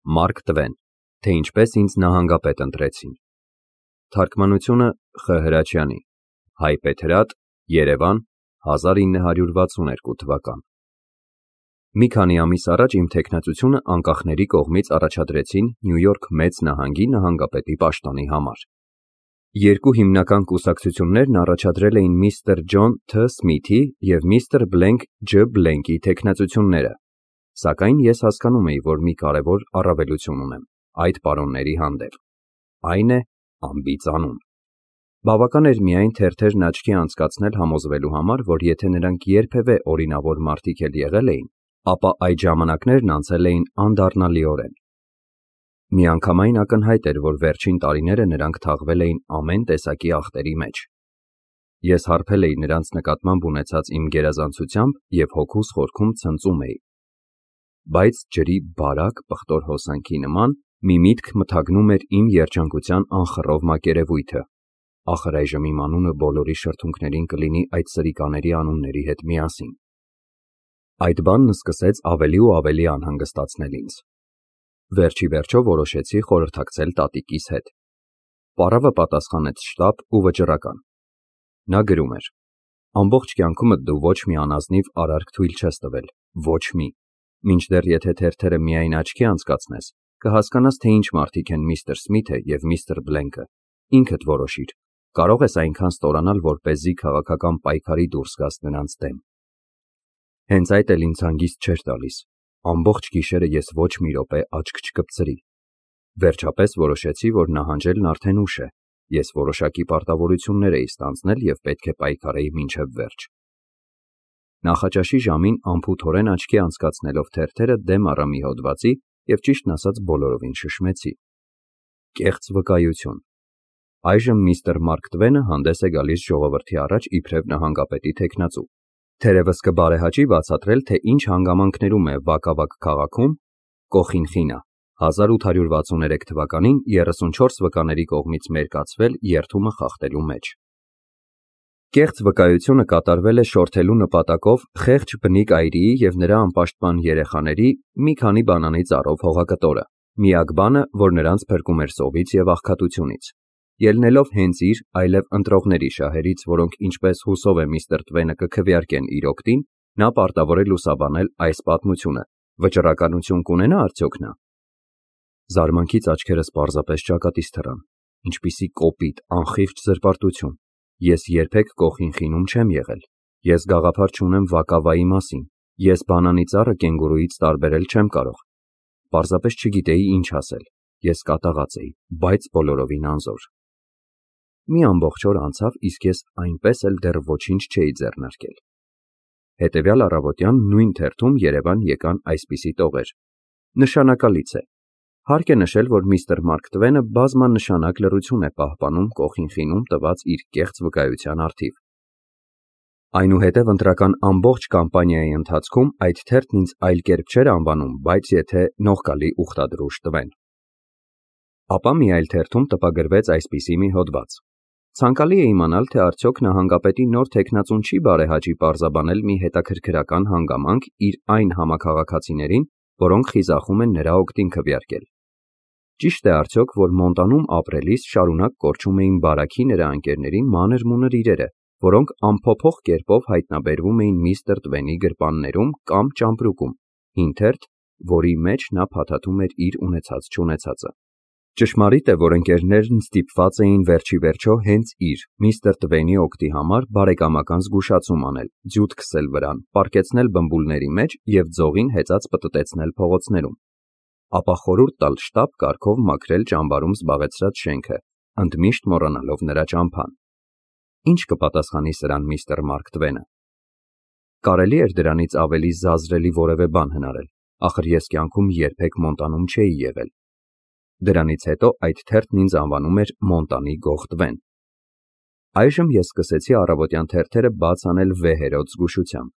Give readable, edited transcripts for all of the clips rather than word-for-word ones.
Մարկ Տվեն, թե ինչպես ինձ նահանգապետ ընտրեցին։ Թարգմանությունը Խ. Հրաչյանի, Հայ Պետրատ, Երևան, 1962 թվական։ Մի քանի ամիս առաջ իմ թեկնածությունը անկախների կողմից առաջադրեցին Նյու Յորք մեծ նահանգի նահանգապետի պաշտոնի համար։ Երկու հիմնական կուսակցություններն առաջադրել էին միստր Ջոն Თ. Սմիթի և միստր Բլենք Ջ. Բլենկի թեկնածությունները, սակայն ես հասկանում էի, որ մի կարևոր առավելություն ունեմ այդ պարոնների հանդեպ, այն է անբիծ անուն։ Բավական էր միայն թերթերն աչքի անցկացնել համոզվելու համար, որ եթե նրանք երբևէ օրինավոր մարդիկ էլ եղել էին, ապա այդ ժամանակներն անցել էին անդառնալիորեն։ Միանգամայն ակնհայտ էր, որ վերջին տարիները նրանք թաղվել էին ամեն տեսակի աղտերի մեջ։ Ես հարբել էի նրանց նկատմամբ ունեցած իմ գերազանցությամբ և հոգուս խորքում ցնծում էի։ Բայց ջրի բարակ պղտոր հոսանքի նման մի միտք մթագնում էր իմ երջանկության անխռով մակերևույթը. ախր այժմ իմ անունը բոլորի շրթունքներին կլինի այդ սրիկաների անունների հետ միասին։ Այդ բանն սկսեց ավելի ու ավելի անհանգստացնել ինձ։ Վերջ ի վերջո որոշեցի խորհրդակցել տատիկիս հետ։ Պարավը պատասխանեց շտապ ու վճռական։ Նա գրում էր. ամբողջ կյանքումդ դու ոչ մի անազնիվ արարք թույլ չես տվել, ոչ մի, մինչդեռ եթե թերթերը միայն աչքի անցկացնես, կհասկանաս, թե ինչ մարդիկ են միստր Սմիթը և միստր Բլենկը, ինքդ որոշիր, կարող ես այնքան ստորանալ, որպեսզի քաղաքական պայքարի դուրս գաս նրանց դեմ։ Հենց այդ էլ ինձ հանգիստ չէր տալիս, ամբողջ գիշերը ես ոչ մի րոպե աչք չկպցրի։ Վերջապես որոշեցի, որ նահանջելն արդեն ուշ է, ես որոշակի պարտավորություններ էի ստանձնել և պետք է պայքարեի մինչև վերջ։ Նախաճաշի ժամին անփութորեն աչքի անցկացնելով թերթերը դեմ առա մի հոդվածի և ճիշտն ասած բոլորովին շշմեցի։ Կեղծ վկայություն։ Այժմ միստր Մարկ Տվենը հանդես է գալիս ժողովրդի առաջ իբրև նահանգապետի թեկնածու։ Թերևս կբարեհաճի բացատրել, թե ինչ հանգամանքներում է Վակավակ քաղաքում Կոխինխինա 1863 թվականին 34 վկաների կողմից մերկացվել երթումը խախտելու մեջ։ Կեղծ վկայությունը կատարվել է շորթելու նպատակով խեղճ բնիկ այրիի և նրա անպաշտպան երեխաների մի քանի բանանի ծառով հողակտորը, միակ բանը, որ նրանց փրկում էր սովից և աղքատությունից։ Ելնելով հենց իր, այլև ընտրողների շահերից, որոնք ինչպես հուսով է միստր Տվենը կքվեարկեն իր օգտին, նա պարտավոր է լուսաբանել այս պատմությունը։ Վճռականություն կունենա արդյոք նա։ Զարմանքից աչքերս պարզապես ճակատից թռան։ Ինչպիսի կոպիտ, անխիղճ զրպարտություն։ Ես երբեք Կոխինխինում չեմ եղել։ Ես գաղափար չունեմ Վակավայի մասին։ Ես բանանի ծառը կենգուրուից տարբերել չեմ կարող։ Պարզապես չգիտեի ինչ ասել։ Ես կատաղած էի, բայց բոլորովին անզոր։ Մի ամբողջ օր անցավ, իսկ ես այնպես էլ դեռ ոչինչ չէի ձեռնարկել։ Հետևյալ առավոտյան նույն թերթում Երևան եկան այսպիսի տողեր. նշանակալից է։ Հարկ է նշել, որ միստր Մարկ Տվենը բազմանշանակ լռություն է պահպանում Կոխինխինում տված իր կեղծ վկայության առթիվ։ Այնուհետև ընտրական ամբողջ կամպանիայի ընթացքում այդ թերթն ինձ այլ կերպ չէր անվանում, բայց եթե նողկալի ուխտադրուժ Տվեն։ Ապա մի այլ թերթում տպագրվեց այսպիսի մի հոդված. ցանկալի է իմանալ, թե արդյոք նահանգապետի նոր թեկնածուն չի բարեհաճի պարզաբանել մի հետաքրքրական հանգամանք իր այն համաքաղաքացիներին, որոնք խիզախում են նրա օգտին քվեարկել։ Ճիշտ է արդյոք, որ Մոնտանում ապրելիս շարունակ կորչում էին բարաքի նրա ընկերների մանր-մունր իրերը, որոնք անփոփոխ կերպով հայտնաբերվում էին միստր Տվենի գրպաններում կամ ճամպրուկում, հին թերթ, որի մեջ նա փաթաթում էր իր ունեցած-չունեցածը։ Ճշմարիտ է, որ ընկերներն ստիպված էին վերջիվերջո հենց իր միստր Տվենի օգտի համար բարեկամական զգուշացում անել, ձյութ քսել վրան, պառկեցնել բմբուլների մեջ և ձողին հեծած պտտեցնել փողոցներում, ապա խորհուրդ տալ շտապ կարգով մաքրել ճամբարում զբաղեցրած շենքը, ընդմիշտ մոռանալով նրա ճամփան։ Ինչ կպատասխանի սրան միստր Մարկ Տվենը։ Կարելի էր դրանից ավելի զազրելի որևէ բան հնարել, ախր ես կյանքում երբեք Մոնտանում չէի եղել։ Դրանից հետո այդ թերթն ինձ անվանում էր Մոնտանի Գող Տվեն։ Այժմ ես սկսեցի առավոտյան թերթերը բաց անել վեհերոտ զգուշությամբ։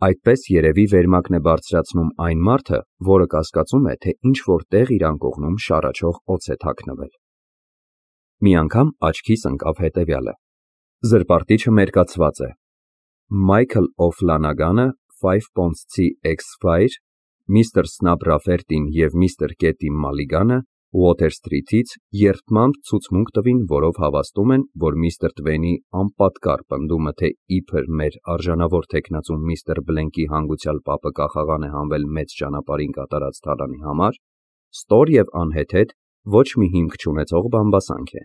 Այդպես երևի վերմակն է բարձրացնում այն մարդը, որը կասկածում է, թե ինչ-որ տեղ իր անկողնում շառաչող օձ է թաքնվել։ Մի անգամ աչքիս ընկավ հետևյալը. զրպարտիչը մերկացված է. Michael O'Flanagանը 5 պոնսցի X-Fire միստր Սնապրաֆերտին և միստր Կետի Մալիգանը Ուոթեր Սթրիթից երդմամբ ցուցմունք տվին, որով հավաստում են, որ միստր Տվենի անպատկառ պնդումը, թե իբր մեր արժանավոր թեկնածու միստր Բլենքի հանգուցյալ պապը կախաղան է հանվել մեծ ճանապարհին կատարած թալանի համար, ստոր և անհեթեթ ոչ մի հիմք չունեցող բամբասանք է։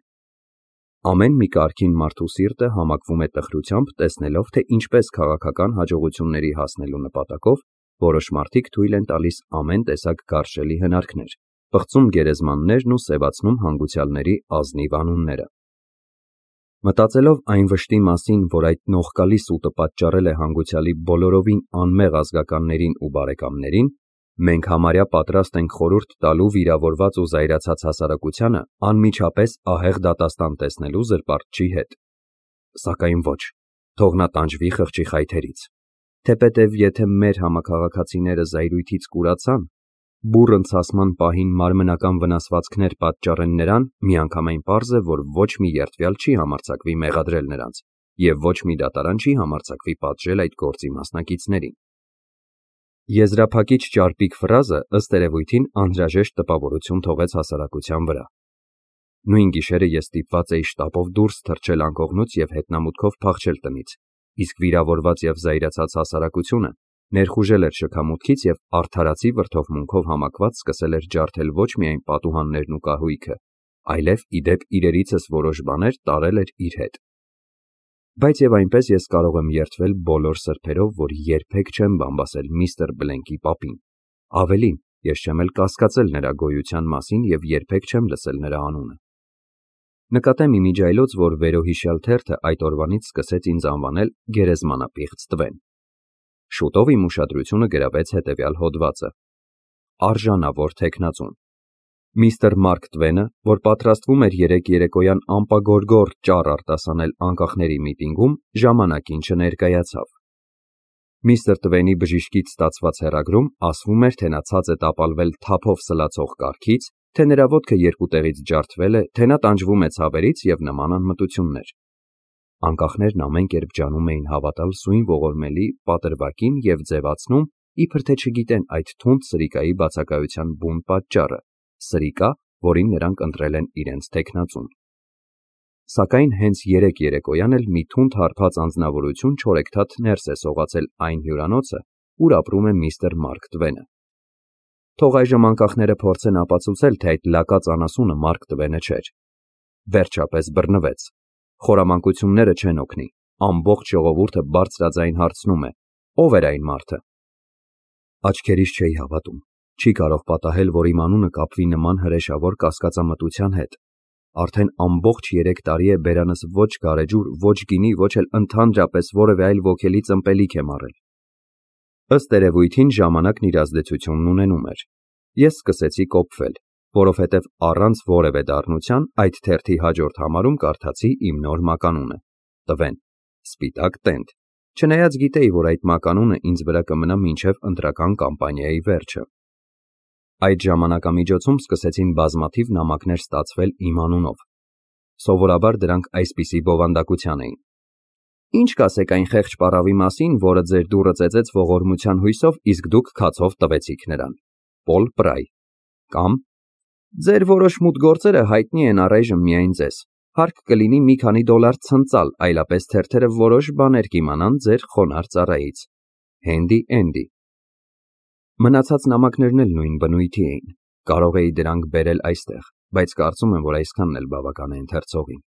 Ամեն մի կարգին մարդու սիրտը համակվում է տխրությամբ, տեսնելով, թե ինչպես քաղաքական հաջողությունների հասնելու նպատակով որոշ մարդիկ թույլ են տալիս ամեն տեսակ գարշելի հնարքներ, պղծում գերեզմաններն ու սևացնում հանգուցյալների ազնիվ անունները։ Մտածելով այն վշտի մասին, որ այդ նողկալի սուտը պատճառել է հանգուցյալի բոլորովին անմեղ ազգականներին ու բարեկամներին, մենք համարյա պատրաստ ենք խորհուրդ տալու վիրավորված ու զայրացած հասարակությանը անմիջապես ահեղ դատաստան տեսնելու զրպարտչի հետ։ Սակայն ոչ, թող նա տանջվի խղճի խայթերից, թեպետև եթե մեր համաքաղաքացիները զայրույթից կուրացան, բուռն ցասման պահին մարմնական վնասվածքներ պատճառեն նրան, միանգամայն պարզ է, որ ոչ մի երդվյալ չի համարձակվի մեղադրել նրանց, և ոչ մի դատարան չի համարձակվի պատժել այդ գործի մասնակիցներին։ Եզրափակիչ ճարպիկ ֆրազը ըստ երևույթին անհրաժեշտ տպավորություն թողեց հասարակության վրա։ Նույն գիշերը ես ստիպված էի շտապով դուրս թռչել անկողնուց և հետնամուտքով փախչել տնից, իսկ վիրավորված և զայրացած հասարակությունը ներխուժել էր շքամուտքից և արդարացի վրդովմունքով համակված սկսել էր ջարդել ոչ միայն պատուհաններն ու կահույքը, այլև ի դեպ իրերիցս որոշ բաներ տարել էր իր հետ։ Բայց և այնպես ես կարող եմ երդվել բոլոր սրբերով, որ երբեք չեմ բամբասել միստր Բլենքի պապին, ավելին, ես չեմ էլ կասկածել նրա գոյության մասին և երբեք չեմ լսել նրա անունը։ Նկատեմ իմիջիայլոց, որ վերոհիշյալ թերթը այդ օրվանից սկսեց ինձ անվանել գերեզմանապիղծ Տվեն։ Շուտով իմ ուշադրությունը գրավեց հետևյալ հոդվածը. Արժանավոր թեկնածուն։ Միստր Մարկ Տվենը, որ պատրաստվում էր երեկ երեկոյան ամպագորգոր ճառ արտասանել անկախների միտինգում, ժամանակին չներկայացավ։ Միստր Տվենի բժիշկից ստացված հեռագրում ասվում էր, թե նա ցած է տապալվել թափով սլացող կառքից, թե նրա ոտքը երկու տեղից ջարդվել է, թե նա տանջվում է ցավերից և նման անմտություններ։ Անկախներն ամեն կերպ ջանում էին հավատալ սույն ողորմելի պատրվակին և ձևացնում, իբր թե չգիտեն այդ թունդ սրիկայի բացակայության բուն պատճառը, սրիկա, որին նրանք ընտրել են իրենց թեկնածուն։ Սակայն հենց երեկ երեկոյան էլ մի թունդ հարբած անձնավորություն չորեքթաթ ներս է սողացել այն հյուրանոցը, ուր ապրում է միստր Մարկ Տվենը։ Թող այժմ անկախները փորձեն ապացուցել, թե այդ լակած անասունը Մարկ Տվենը չէր։ Վերջապես բռնվեց։ Խորամանկությունները չեն օգնի։ Ամբողջ ժողովուրդը բարձրաձայն հարցնում է. ով էր այն մարդը։ Աչքերիս չէի հավատում։ Չի կարող պատահել, որ իմ անունը կապվի նման հրեշավոր կասկածամտության հետ։ Արդեն ամբողջ 3 տարի է բերանս ոչ գարեջուր, ոչ գինի, ոչ էլ ընդհանրապես որևէ այլ ոգելի ծմպելիք եմ առել։ Ըստ երևույթին ժամանակն իր ազդեցությունն ունենում էր։ Ես սկսեցի կոպվել, որովհետև առանց որևէ դառնության այդ թերթի հաջորդ համարում կարդացի իմ նոր մականունը՝ Տվեն, սպիտակ տենդ, չնայած գիտեի, որ այդ մականունը ինձ վրա կմնա մինչև ընտրական կամպանիայի վերջը։ Այդ ժամանակամիջոցում սկսեցին բազմաթիվ նամակներ ստացվել իմ անունով։ Սովորաբար դրանք այսպիսի բովանդակության էին. Ինչ կասեք այն խեղճ պառավի մասին, որը ձեր դուռը ծեծեց ողորմության հույսով, իսկ դուք քացով տվեցիք նրան։ Պոլ Պրայ։ Կամ ձեր որոշ մութ գործերը հայտնի են առայժմ միայն ձեզ։ Հարկ կլինի մի քանի $, ցնծալ, այլապես թերթերը որոշ բաներ կիմանան ձեր խոնարհ ծառայից։ Հենդի Էնդի։ Մնացած նամակներն էլ նույն բնույթի էին։ Կարող էի դրանք բերել այստեղ, բայց կարծում եմ, որ այսքանն էլ բավական է ընթերցողին։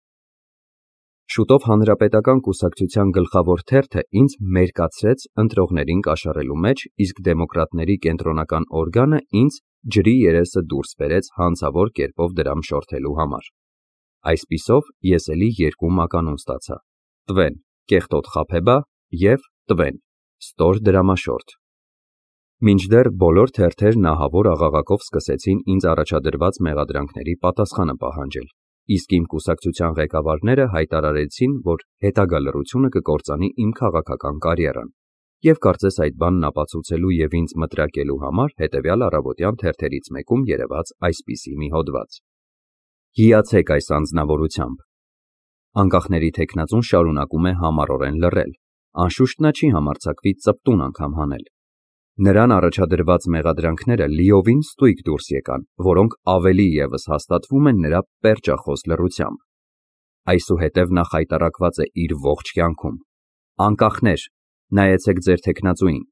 Շուտով հանրապետական կուսակցության գլխավոր թերթը ինձ մերկացրեց ընտրողներին կաշառելու մեջ, իսկ դեմոկրատների կենտրոնական օրգանը ինձ ջրի երեսը դուրս բերեց հանցավոր կերպով դրամ շորթելու համար։ Այսպիսով ես էլի 2 մականուն ստացա՝ Տվեն, կեղտոտ խաբեբա և Տվեն, ստոր դրամաշորթ։ Մինչդեռ բոլոր թերթերն ահավոր աղաղակով սկսեցին ինձ առաջադրված մեղադրանքների պատասխանը պահանջել, իսկ իմ կուսակցության ղեկավարները հայտարարեցին, որ հետագա լռությունը կկործանի իմ քաղաքական կարիերան, և կարծես այդ բանն ապացուցելու և ինձ մտրակելու համար հետևյալ առավոտյան թերթերից մեկում երևաց այսպիսի մի հոդված. Հիացեք այս անձնավորությամբ։ Անկախների թեկնածուն շարունակում է համառորեն լռել, անշուշտ նա չի համարձակվի ծպտուն անգամ հանել։ Նրան առաջադրված մեղադրանքները լիովին ստույգ դուրս եկան, որոնք ավելի ևս հաստատվում են նրա պերճախոս լռությամբ։ Այսուհետև նա խայտառակված է իր ողջ կյանքում։ Անկախներ, նայեցեք ձեր թեկնածուին,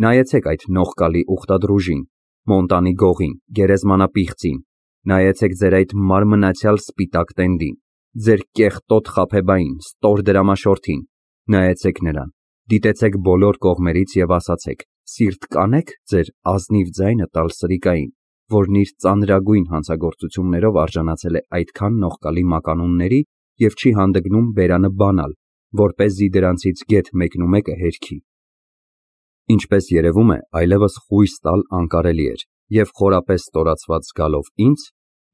նայեցեք այդ նողկալի ուխտադրուժին, Մոնտանի գողին, գերեզմանապիղծին, նայեցեք ձեր այդ մարմնացյալ սպիտակ տենդին, ձեր կեղտոտ խաբեբային, ստոր դրամաշորթին, նայեցեք նրան, դիտեցեք բոլոր կողմերից և ասացեք. սիրտ կանե՞ք ձեր ազնիվ ձայնը տալ սրիկային, որն իր ծանրագույն հանցագործություններով արժանացել է այդքան նողկալի մականունների և չի հանդգնում բերանը բանալ, որպեսզի դրանցից գեթ մեկնումեկը հերքի։ Ինչպես երևում է, այլևս խույս տալ անկարելի էր, և խորապես ստորացված զգալով ինձ,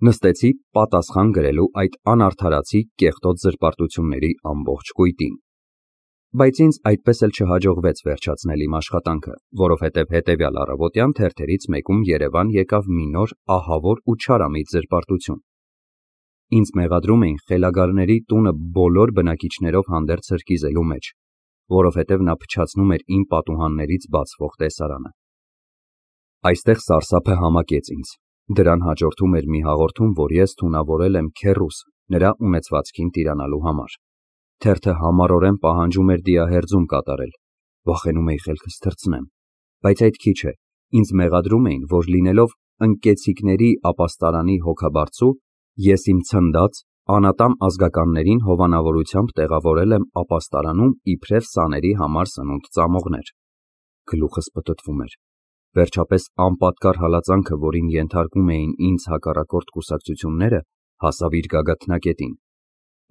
նստեցի պատասխան գրելու այդ անարդարացի կեղտոտ զրպարտությունների ամբողջ կույտին։ Բայց ինձ այդպես էլ չհաջողվեց վերջացնել իմ աշխատանքը, որովհետև հետևյալ առավոտյան թերթերից մեկում Երևան եկավ մի նոր ահավոր ու չարամիտ զրպարտություն։ Ինձ մեղադրում էին խելագարների տունը բոլոր բնակիչներով հանդերձ սրկիզելու մեջ, որովհետև նա փչացնում էր իմ պատուհաններից բացվող տեսարանը։ Այստեղ սարսափը համակեց ինձ։ Դրան հաջորդում էր մի հաղորդում, որ ես թունավորել եմ քեռուս նրա ունեցվածքին տիրանալու համար։ Թերթը համառորեն պահանջում էր դիահերձում կատարել, վախենում էի խելքս թռցնեմ, բայց այդ քիչ է, ինձ մեղադրում էին, որ լինելով ընկեցիկների ապաստարանի հոգաբարձու, ես իմ ցնդած, անատամ ազգականներին հովանավորությամբ տեղավորել եմ ապաստարանում իբրև սաների համար սնունդ ծամողներ։ Գլուխս պտտվում էր։ Վերջապես անպատկար հալածանքը, որին ենթարկում էին ինձ հակառակորդ կուսակցությունները, հասավ իր գագաթնակետին։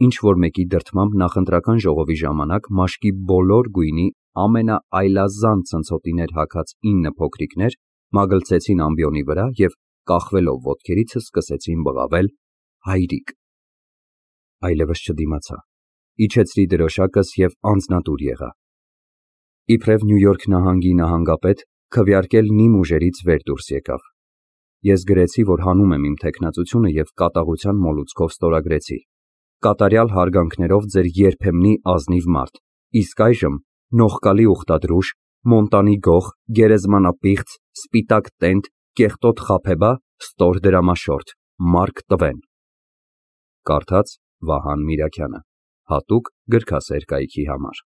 Ինչ-որ մեկի դրդմամբ նախընտրական ժողովի ժամանակ մաշկի բոլոր գույնի ամենաայլազան ցնցոտիներ հագած 9 փոքրիկներ մագլցեցին ամբիոնի վրա և կախվելով ոտքերիցս սկսեցին բղավել հայրիկ։ Այլևս չդիմացա, իջեցրի դրոշակս և անձնատուր եղա։ Իբրև Նյու Յորք նահանգի նահանգապետ քվեարկել նիմ ուժերից վեր դուրս եկավ։ Ես գրեցի, որ հանում եմ իմ թեկնածությունը և կատաղության մոլուցքով ստորագրեցի. կատարյալ հարգանքներով ձեր երբեմնի ազնիվ մարդ, իսկ այժմ նողկալի ուխտադրուժ, Մոնտանի գող, գերեզմանապիղծ, սպիտակ տենդ, կեղտոտ խաբեբա, ստոր դրամաշորթ, Մարկ Տվեն։ Կարդաց Վահան Միրաքյանը, հատուկ գրքասեր կայքի համար։